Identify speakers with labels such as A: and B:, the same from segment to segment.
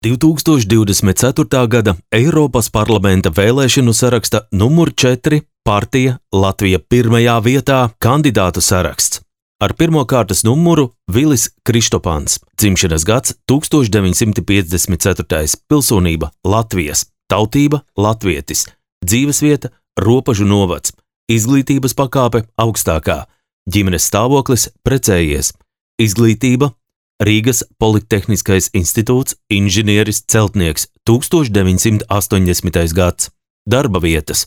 A: 2024. gada Eiropas parlamenta vēlēšanu saraksta numur 4 partija Latvija pirmajā vietā kandidātu saraksts. Ar pirmo kārtas numuru Vilis Kristopāns, dzimšanas gads 1954, pilsonība Latvijas, tautība latvietis, dzīvesvieta Ropažu novads, izglītības pakāpe augstākā, ģimenes stāvoklis precējies, izglītība Rīgas Politehniskais institūts, inženieris celtnieks 1980. gads, darba vietas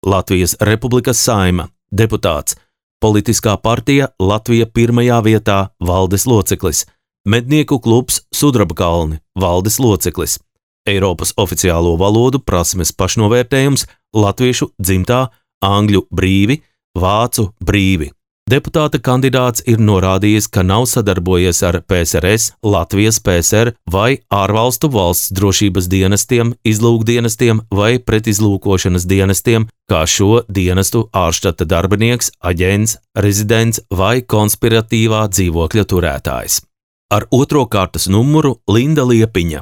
A: Latvijas Republikas Saeima, deputāts, politiskā partija Latvija pirmajā vietā, valdes loceklis, mednieku klubs Sudrabkalni, valdes loceklis, Eiropas oficiālo valodu prasmes pašnovērtējums latviešu dzimtā, angļu brīvi, vācu brīvi. Deputāta kandidāts ir norādījis, ka nav sadarbojies ar PSRS, Latvijas PSR vai ārvalstu valsts drošības dienestiem, izlūkdienestiem vai pretizlūkošanas dienestiem, kā šo dienestu ārštata darbinieks, aģents, rezidents vai konspiratīvā dzīvokļa turētājs. Ar otro kārtas numuru Linda Liepiņa,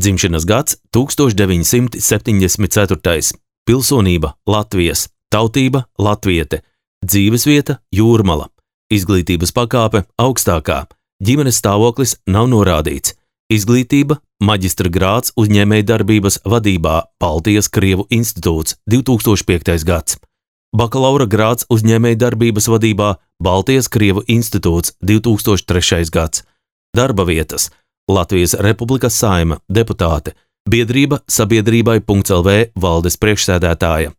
A: dzimšanas gads 1974, pilsonība Latvijas, tautība latviete, dzīvesvieta Jūrmala, izglītības pakāpe augstākā, ģimenes stāvoklis nav norādīts, izglītība maģistra grāds uzņēmējdarbības vadībā Baltijas Krievu institūts 2005. gads, bakalaura grāds uzņēmējdarbības vadībā Baltijas Krievu institūts 2003. gads, darba vietas Latvijas Republikas Saeima, deputāte, biedrība sabiedrībai.lv valdes priekšsēdētāja.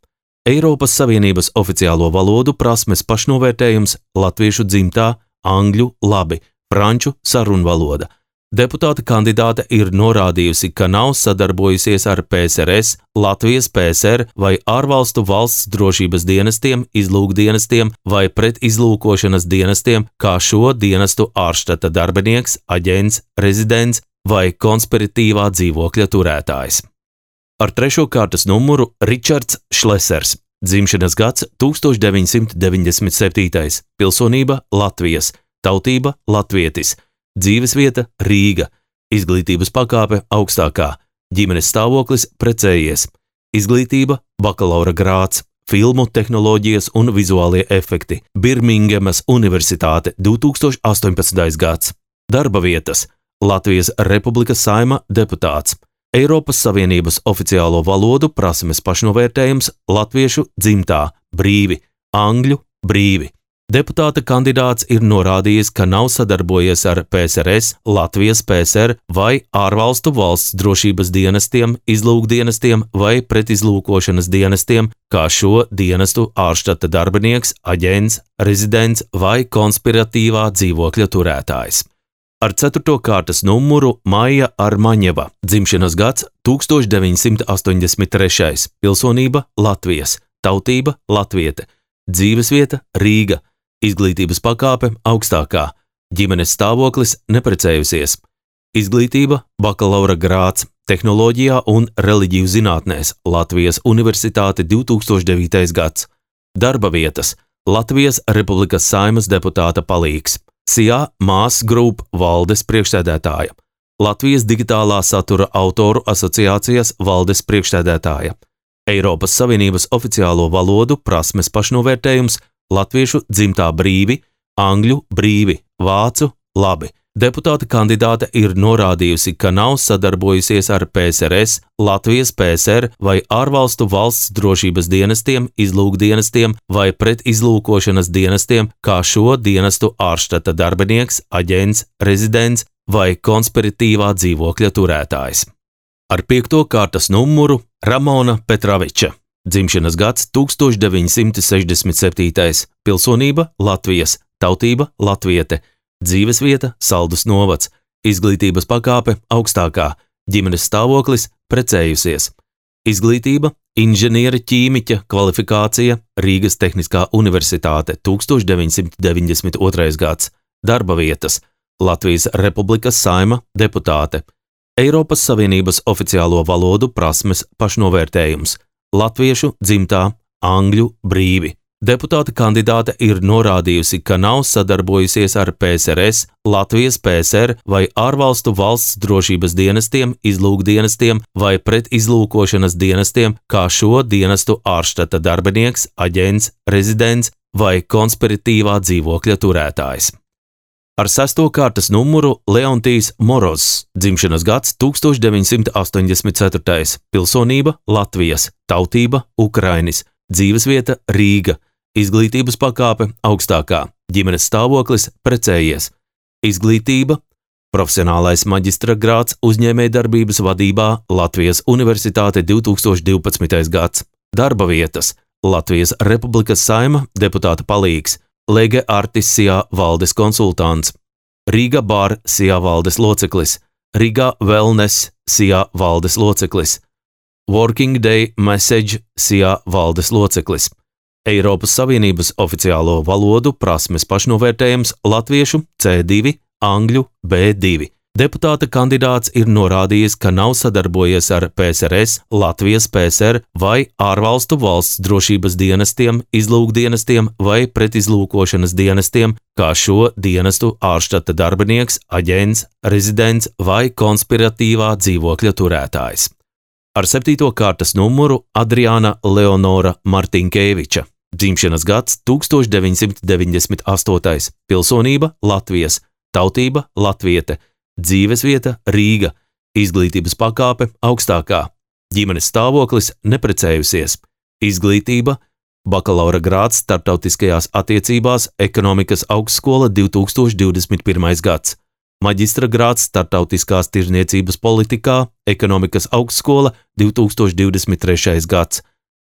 A: Eiropas Savienības oficiālo valodu prasmes pašnovērtējums latviešu dzimtā, angļu labi, franču sarunvaloda. Deputāta kandidāte ir norādījusi, ka nav sadarbojusies ar PSRS, Latvijas PSR vai ārvalstu valsts drošības dienestiem, izlūkdienestiem vai pretizlūkošanas dienestiem, kā šo dienestu ārštata darbinieks, aģents, rezidents vai konspiratīvā dzīvokļa turētājs. Ar trešo kārtas numuru Ričards Šlesers, dzimšanas gads 1997, pilsonība Latvijas, tautība latvietis, dzīvesvieta Rīga, izglītības pakāpe augstākā, ģimenes stāvoklis precējies, izglītība bakalaura grāds, filmu tehnoloģijas un vizuālie efekti, Birmingemas Universitāte 2018. gads, darba vietas Latvijas Republikas Saeima, deputāts, Eiropas Savienības oficiālo valodu prasmes pašnovērtējums latviešu dzimtā, brīvi, angļu brīvi. Deputāta kandidāts ir norādījis, ka nav sadarbojies ar PSRS, Latvijas PSR vai ārvalstu valsts drošības dienestiem, izlūkdienestiem vai pretizlūkošanas dienestiem, kā šo dienestu ārštata darbinieks, aģents, rezidents vai konspiratīvā dzīvokļa turētājs. Ar ceturto kārtas numuru Maija Armaņeva, dzimšanas gads 1983, pilsonība Latvijas, tautība latviete, dzīvesvieta Rīga, izglītības pakāpe augstākā, ģimenes stāvoklis neprecējusies, izglītība bakalaura grāds, tehnoloģijā un reliģiju zinātnēs, Latvijas Universitāte 2009. gads, darba vietas Latvijas Republikas Saeimas deputāta palīgs. SIA Mass Group valdes priekšsēdētāja, Latvijas digitālā satura autoru asociācijas valdes priekšsēdētāja, Eiropas Savienības oficiālo valodu prasmes pašnovērtējums latviešu dzimtā brīvi, angļu brīvi, vācu labi. Deputāta kandidāte ir norādījusi, ka nav sadarbojusies ar PSRS, Latvijas PSR vai ārvalstu valsts drošības dienestiem, izlūkdienestiem vai pretizlūkošanas dienestiem, kā šo dienestu ārštata darbinieks, aģents, rezidents vai konspiratīvā dzīvokļa turētājs. Ar piekto kārtas numuru Ramona Petraviča, dzimšanas gads 1967, pilsonība Latvijas, tautība latviete, dzīvesvieta Saldus novads, izglītības pakāpe augstākā, ģimenes stāvoklis precējusies, izglītība inženiera ķīmiķa kvalifikācija Rīgas Tehniskā Universitāte 1992. gads, darba vietas Latvijas Republikas Saeima, deputāte, Eiropas Savienības oficiālo valodu prasmes pašnovērtējums latviešu dzimtā, angļu brīvi, Deputāta kandidāte ir norādījusi, ka nav sadarbojusies ar PSRS, Latvijas PSR vai ārvalstu valsts drošības dienestiem, izlūkdienestiem vai pretizlūkošanas dienestiem, kā šo dienestu ārštata darbinieks, aģents, rezidents vai konspiratīvā dzīvokļa turētājs. Ar 6. kārtas numuru Leontijs Morozs, dzimšanas gads 1984, pilsonība Latvijas, tautība Ukrainis, dzīvesvieta Rīga, izglītības pakāpe augstākā, ģimenes stāvoklis precējies, izglītība, profesionālais maģistra grāds uzņēmējdarbības vadībā Latvijas Universitāte 2012. gads, darba vietas Latvijas Republikas Saima deputāta palīgs, Lege Artis Sijā valdes konsultants, Riga Bar Sijā valdes loceklis, Riga Wellness Sijā valdes loceklis, Working Day Message Sijā valdes loceklis, Eiropas Savienības oficiālo valodu prasmes pašnovērtējums latviešu C2, angļu B2. Deputāta kandidāts ir norādījis, ka nav sadarbojies ar PSRS, Latvijas PSR vai ārvalstu valsts drošības dienestiem, izlūkdienestiem vai pretizlūkošanas dienestiem, kā šo dienestu ārštata darbinieks, aģents, rezidents vai konspiratīvā dzīvokļa turētājs. Ar 7. kārtas numuru Adriāna Leonora Martinkeviča, dzimšanas gads 1998, pilsonība Latvijas, tautība latviete, dzīvesvieta Rīga, izglītības pakāpe augstākā, ģimenes stāvoklis neprecējusies, izglītība, bakalaura grāds starptautiskajās attiecībās, ekonomikas augstskola 2021. gads, maģistra grāds starptautiskās tirdzniecības politikā, ekonomikas augstskola 2023. gads,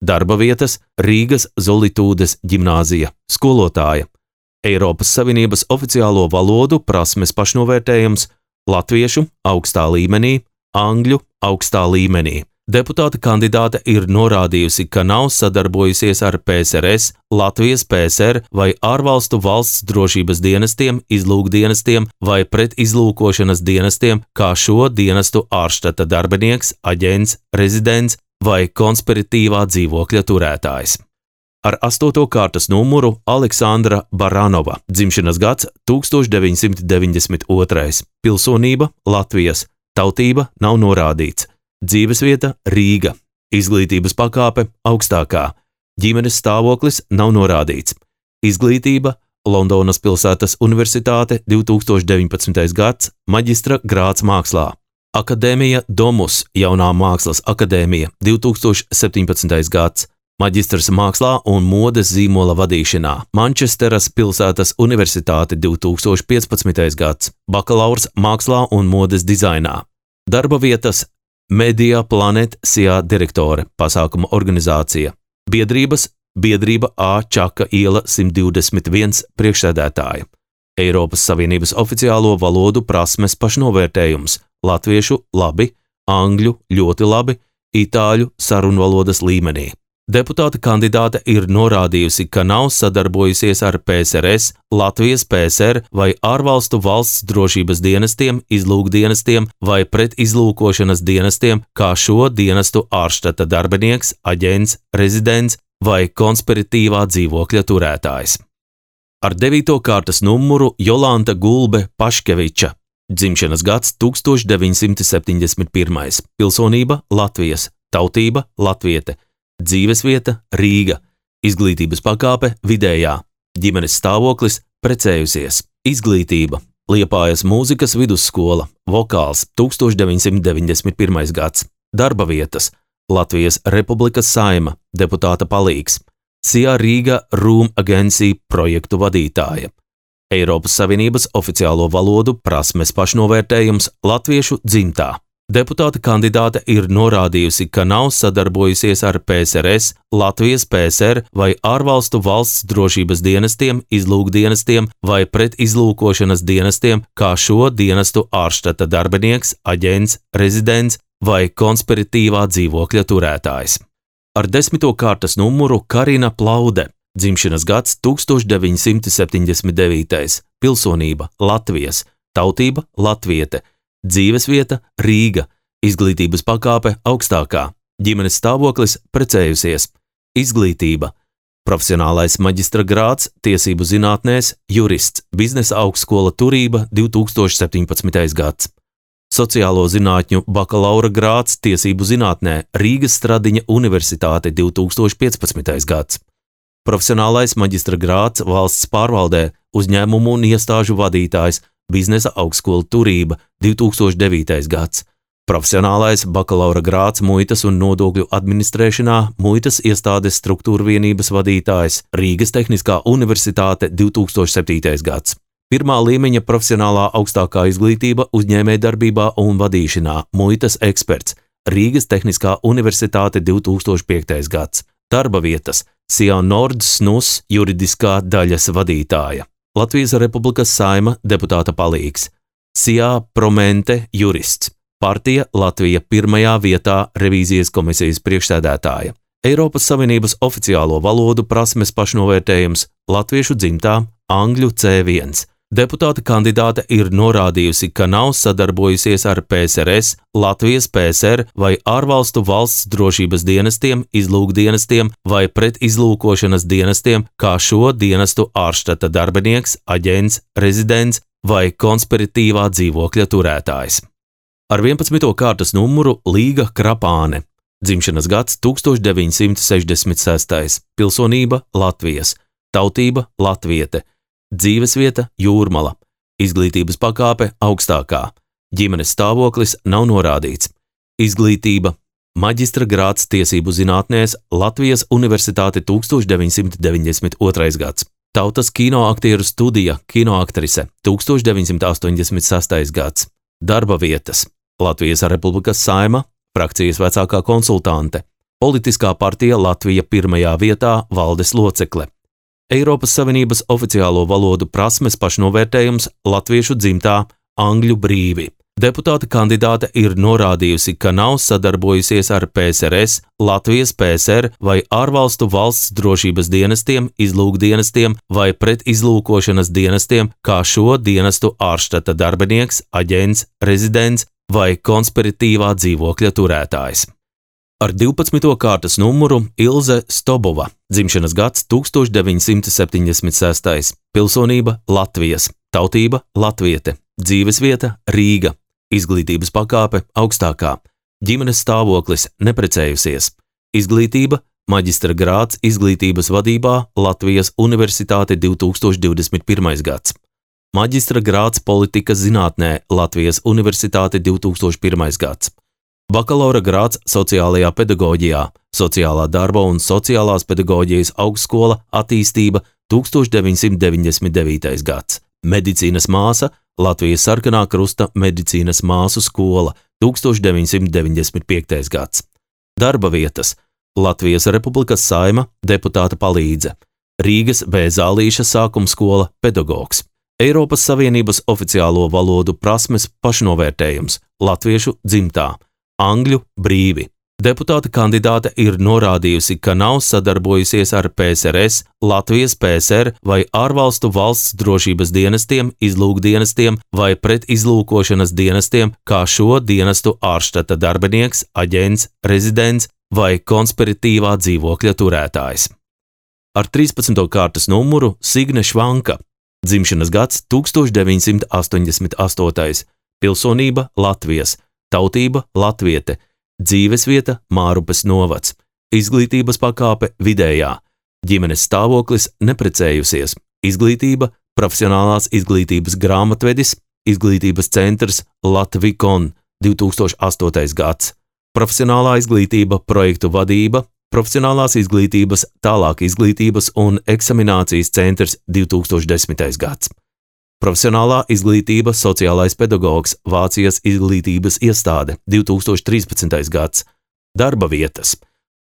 A: darba vietas Rīgas Zolitūdes ģimnāzija, skolotāja, Eiropas Savienības oficiālo valodu prasmes pašnovērtējums latviešu augstā līmenī, angļu augstā līmenī. Deputāta kandidāte ir norādījusi, ka nav sadarbojusies ar PSRS, Latvijas PSR vai ārvalstu valsts drošības dienestiem, izlūkdienestiem vai pretizlūkošanas dienestiem, kā šo dienestu ārštata darbinieks, aģents, rezidents vai konspiratīvā dzīvokļa turētājs. Ar 8. kārtas numuru Aleksandra Baranova, dzimšanas gads 1992, pilsonība Latvijas, tautība nav norādīts, dzīvesvieta Rīga, izglītības pakāpe augstākā, ģimenes stāvoklis nav norādīts, izglītība Londonas pilsētas universitāte 2019. gads, maģistra grāds mākslā, Akadēmija Domus, jaunā mākslas akadēmija 2017. gads, maģistrs mākslā un modes zīmola vadīšanā, Mančesteras pilsētas universitāte 2015. gads, bakalaurs mākslā un modes dizainā, darba vietas Media Planet Sijā direktore, pasākuma organizācija, biedrība A Čaka iela 121 priekšsēdētāja, Eiropas Savienības oficiālo valodu prasmes pašnovērtējums, latviešu labi, angļu ļoti labi, itāļu sarunvalodas līmenī. Deputāta kandidāte ir norādījusi, ka nav sadarbojusies ar PSRS, Latvijas PSR vai ārvalstu valsts drošības dienestiem, izlūkdienestiem vai pretizlūkošanas dienestiem, kā šo dienestu ārštata darbinieks, aģents, rezidents vai konspiratīvā dzīvokļa turētājs. Ar 9. kārtas numuru Jolanta Gulbe Paškeviča, dzimšanas gads 1971, pilsonība Latvijas, tautība latviete, dzīvesvieta Rīga, izglītības pakāpe vidējā, ģimenes stāvoklis precējusies, izglītība Liepājas mūzikas vidusskola, vokāls 1991. gads, darba vietas Latvijas Republikas Saima, deputāta palīgs, Sijā Rīga Room Agency projektu vadītāja, Eiropas Savienības oficiālo valodu prasmes pašnovērtējums latviešu dzimtā. Deputāta kandidāte ir norādījusi, ka nav sadarbojusies ar PSRS, Latvijas PSR vai ārvalstu valsts drošības dienestiem, izlūkdienestiem vai pretizlūkošanas dienestiem, kā šo dienestu ārštata darbinieks, aģents, rezidents vai konspiratīvā dzīvokļa turētājs. Ar 10. kārtas numuru Karina Plaude, dzimšanas gads 1979, pilsonība Latvijas, tautība latviete, dzīvesvieta Rīga, izglītības pakāpe augstākā, ģimenes stāvoklis precējusies, izglītība Profesionālais maģistra grāds tiesību zinātnēs, jurists, biznesa augstskola Turība 2017. gads. Sociālo zinātņu bakalaura grāds tiesību zinātnē, Rīgas Stradiņa Universitāte 2015. gads. Profesionālais maģistra grāds valsts pārvaldē, uzņēmumu un iestāžu vadītājs, biznesa augstskola Turība 2009. gads. Profesionālais bakalaura grāds muitas un nodokļu administrēšanā, muitas iestādes struktūra vienības vadītājs, Rīgas Tehniskā Universitāte 2007. gads. Pirmā līmeņa profesionālā augstākā izglītība uzņēmējdarbībā un vadīšanā, muitas eksperts, Rīgas Tehniskā Universitāte 2005. gads. Darba vietas, SIA Nord SNUS juridiskā daļas vadītāja, Latvijas Republikas Saima deputāta palīgs, SIA Promente jurists, partija Latvija pirmajā vietā revīzijas komisijas priekšsēdētāja, Eiropas Savienības oficiālo valodu prasmes pašnovērtējums, latviešu dzimtā, angļu C1. Deputāta kandidāte ir norādījusi, ka nav sadarbojusies ar PSRS, Latvijas PSR vai ārvalstu valsts drošības dienestiem, izlūkdienestiem vai pretizlūkošanas dienestiem, kā šo dienestu ārštata darbinieks, aģents, rezidents vai konspiratīvā dzīvokļa turētājs. Ar 11. kārtas numuru Līga Krapāne. Dzimšanas gads 1966. Pilsonība Latvijas. Tautība latviete. Dzīvesvieta Jūrmala. Izglītības pakāpe augstākā. Ģimenes stāvoklis nav norādīts. Izglītība. Maģistra grāds tiesību zinātnēs, Latvijas Universitāte 1992. gads. Tautas kinoaktieru studija, kinoaktrise 1986. gads. Darba vietas. Latvijas Republikas Saima, frakcijas vecākā konsultante. Politiskā partija Latvija pirmajā vietā, valdes locekle. Eiropas Savienības oficiālo valodu prasmes pašnovērtējums, latviešu dzimtā, angļu brīvi. Deputāta kandidāte ir norādījusi, ka nav sadarbojusies ar PSRS, Latvijas PSR vai ārvalstu valsts drošības dienestiem, izlūkdienestiem vai pretizlūkošanas dienestiem, kā šo dienestu ārštata darbinieks, aģents, rezidents vai konspiratīvā dzīvokļa turētājs. Ar 12. kārtas numuru Ilze Stobova, dzimšanas gads 1976. Pilsonība Latvijas, tautība latviete, dzīvesvieta Rīga, izglītības pakāpe augstākā, ģimenes stāvoklis neprecējusies, izglītība, maģistra grāds izglītības vadībā Latvijas Universitāte 2021. gads, maģistra grāds politikas zinātnē Latvijas Universitāte 2001. gads. Bakalaura grāds sociālajā pedagoģijā, sociālā darba un sociālās pedagoģijas augstskola attīstība 1999. gads. Medicīnas māsa, Latvijas Sarkanā krusta medicīnas māsu skola 1995. gads. Darba vietas, Latvijas Republikas Saima, deputāta palīdze, Rīgas B. Zālīša sākuma skola pedagogs. Eiropas Savienības oficiālo valodu prasmes pašnovērtējums, latviešu dzimtā, angļu brīvi. Deputāta kandidāte ir norādījusi, ka nav sadarbojusies ar PSRS, Latvijas PSR vai ārvalstu valsts drošības dienestiem, izlūkdienestiem vai pretizlūkošanas dienestiem, kā šo dienestu ārštata darbinieks, aģents, rezidents vai konspiratīvā dzīvokļa turētājs. Ar 13. kārtas numuru Signe Švanka. Dzimšanas gads 1988. Pilsonība Latvijas, tautība latviete, dzīvesvieta Mārupes novads, izglītības pakāpe vidējā, ģimenes stāvoklis neprecējusies, izglītība, profesionālās izglītības grāmatvedis, izglītības centrs Latvikon 2008. gads, profesionālā izglītība, projektu vadība, profesionālās izglītības, tālāk izglītības un eksaminācijas centrs 2010. gads. Profesionālā izglītība, sociālais pedagogs, Vācijas izglītības iestāde 2013. gads. Darba vietas,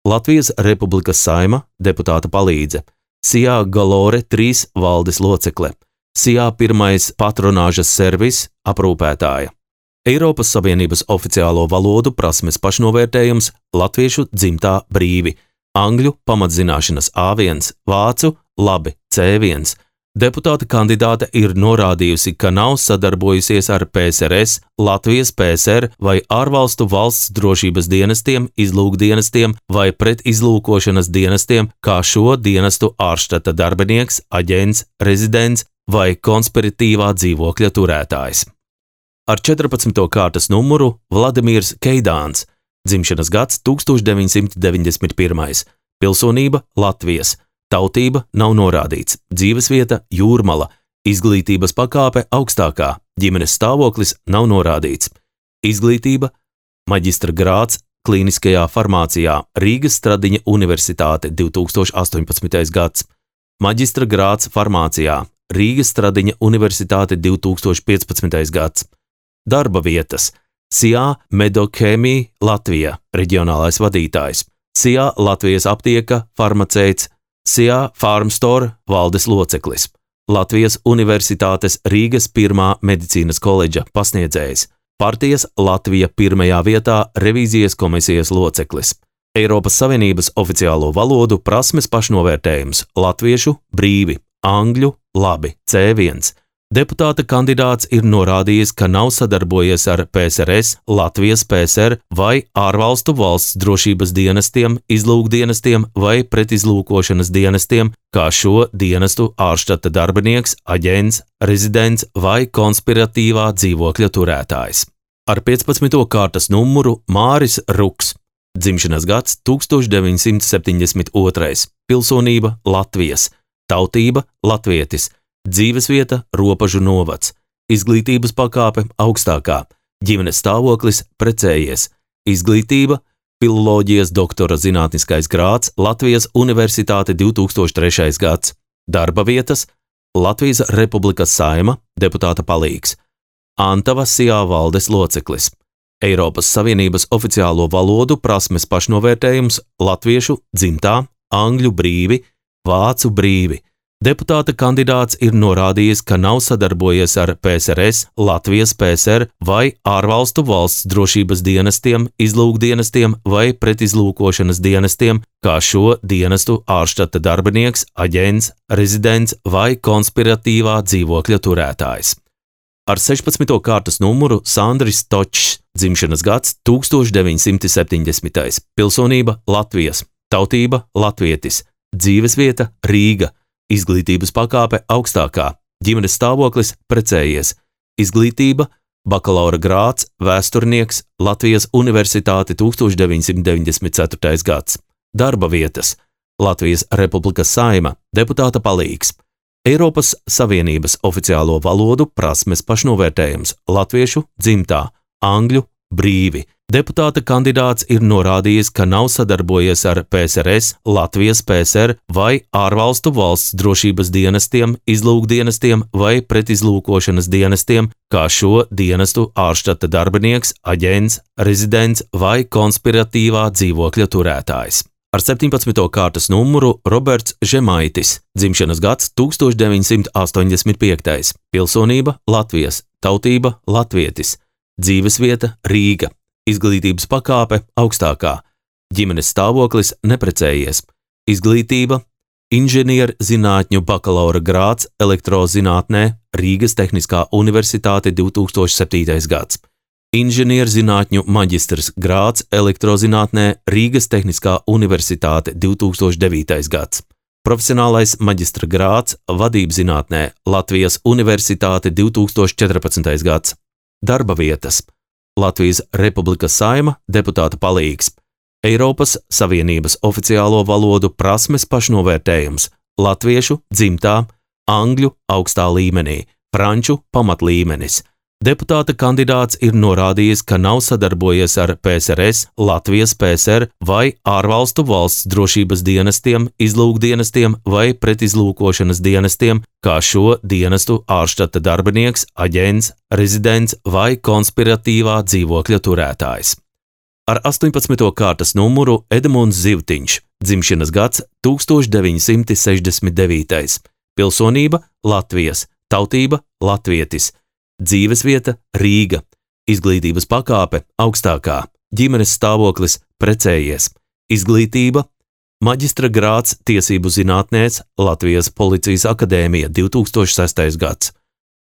A: Latvijas Republikas Saima, deputāta palīdze, SIA Galore 3 valdes locekle, SIA 1 patronāžas servis aprūpētāja. Eiropas Savienības oficiālo valodu prasmes pašnovērtējums, latviešu dzimtā brīvi, angļu pamatzināšanas A1, vācu labi C1, Deputāta kandidāte ir norādījusi, ka nav sadarbojusies ar PSRS, Latvijas PSR vai ārvalstu valsts drošības dienestiem, izlūkdienestiem vai pretizlūkošanas dienestiem, kā šo dienestu ārštata darbinieks, aģents, rezidents vai konspiratīvā dzīvokļa turētājs. Ar 14. kārtas numuru Vladimirs Keidāns, dzimšanas gads 1991, pilsonība Latvijas. Tautība nav norādīts, dzīvesvieta Jūrmala, izglītības pakāpe augstākā, ģimenes stāvoklis nav norādīts. Izglītība maģistra grāds klīniskajā farmācijā, Rīgas Stradiņa Universitāte 2018. gads. Maģistra grāds farmācijā, Rīgas Stradiņa Universitāte 2015. gads. Darba vietas SIA Medokhēmija Latvija, reģionālais vadītājs, SIA Latvijas aptieka, farmaceits, SIA Farmstore valdes loceklis, Latvijas Universitātes Rīgas 1. medicīnas koledža pasniedzējs, partijas Latvija 1. vietā revīzijas komisijas loceklis, Eiropas Savienības oficiālo valodu prasmes pašnovērtējums latviešu brīvi, angļu labi, C1. Deputāta kandidāts ir norādījis, ka nav sadarbojies ar PSRS, Latvijas PSR vai ārvalstu valsts drošības dienestiem, izlūkdienestiem vai pretizlūkošanas dienestiem, kā šo dienestu ārštata darbinieks, aģents, rezidents vai konspiratīvā dzīvokļa turētājs. Ar 15. kārtas numuru Māris Ruks, dzimšanas gads 1972, pilsonība Latvijas, tautība latvietis, dzīvesvieta Ropažu novads, izglītības pakāpe augstākā, ģimenes stāvoklis precējies, izglītība filoloģijas doktora zinātniskais grāds Latvijas Universitāte 2003. gads, darba vietas Latvijas Republikas Saeima, deputāta palīgs, Antava SIA valdes loceklis, Eiropas Savienības oficiālo valodu prasmes pašnovērtējums latviešu dzimtā, angļu brīvi, vācu brīvi. Deputāta kandidāts ir norādījis, ka nav sadarbojies ar PSRS, Latvijas PSR vai ārvalstu valsts drošības dienestiem, izlūkdienestiem vai pretizlūkošanas dienestiem, kā šo dienestu ārštata darbinieks, aģents, rezidents vai konspiratīvā dzīvokļa turētājs. Ar 16. kārtas numuru Sandris Točs, dzimšanas gads 1970, pilsonība Latvijas, tautība latvietis, dzīvesvieta Rīga, izglītības pakāpe augstākā, ģimenes stāvoklis precējies, izglītība bakalaura grāds, vēsturnieks, Latvijas Universitāte 1994. gads, darba vietas Latvijas Republikas Saeima, deputāta palīgs, Eiropas Savienības oficiālo valodu prasmes pašnovērtējums latviešu dzimtā, angļu brīvi. Deputāta kandidāts ir norādījis, ka nav sadarbojies ar PSRS, Latvijas PSR vai ārvalstu valsts drošības dienestiem, izlūkdienestiem vai pretizlūkošanas dienestiem, kā šo dienestu ārštata darbinieks, aģents, rezidents vai konspiratīvā dzīvokļa turētājs. Ar 17. kārtas numuru Roberts Žemaitis, dzimšanas gads 1985, pilsonība Latvijas, tautība latvietis, dzīvesvieta Rīga. Izglītības pakāpe augstākā, ģimenes stāvoklis neprecējies, izglītība inženierzinātņu bakalaura grāds elektrozinātnē, Rīgas Tehniskā Universitāte 2007. gads, inženierzinātņu maģistrs grāds elektrozinātnē, Rīgas Tehniskā Universitāte 2009. gads, profesionālais maģistra grāds vadībzinātnē, Latvijas Universitāte 2014. gads, darba vietas Latvijas Republikas Saeima, deputāta palīgs, Eiropas Savienības oficiālo valodu prasmes pašnovērtējums latviešu dzimtā, angļu augstā līmenī, franču pamatlīmenis. Deputāta kandidāts ir norādījis, ka nav sadarbojies ar PSRS, Latvijas PSR vai ārvalstu valsts drošības dienestiem, izlūkdienestiem vai pretizlūkošanas dienestiem, kā šo dienestu ārštata darbinieks, aģents, rezidents vai konspiratīvā dzīvokļa turētājs. Ar 18. kārtas numuru Edmunds Zivtiņš, dzimšanas gads 1969, pilsonība Latvijas, tautība latvietis, dzīvesvieta Rīga, izglītības pakāpe augstākā, ģimenes stāvoklis precējies, izglītība Maģistra grāds tiesību zinātnēs Latvijas Policijas akadēmija 2006. gads.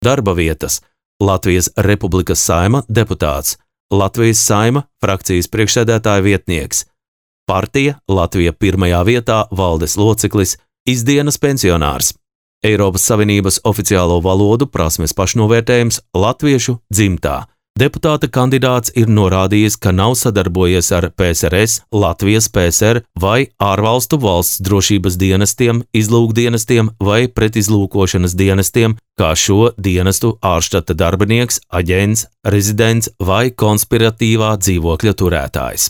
A: Darba vietas Latvijas Republikas Saeima deputāts, Latvijas Saeima frakcijas priekšsēdētāja vietnieks, partija Latvija pirmajā vietā valdes loceklis, izdienas pensionārs, Eiropas Savienības oficiālo valodu prasmes pašnovērtējums latviešu dzimtā. Deputāta kandidāts ir norādījis, ka nav sadarbojies ar PSRS, Latvijas PSR vai ārvalstu valsts drošības dienestiem, izlūkdienestiem vai pretizlūkošanas dienestiem, kā šo dienestu ārštata darbinieks, aģents, rezidents vai konspiratīvā dzīvokļa turētājs.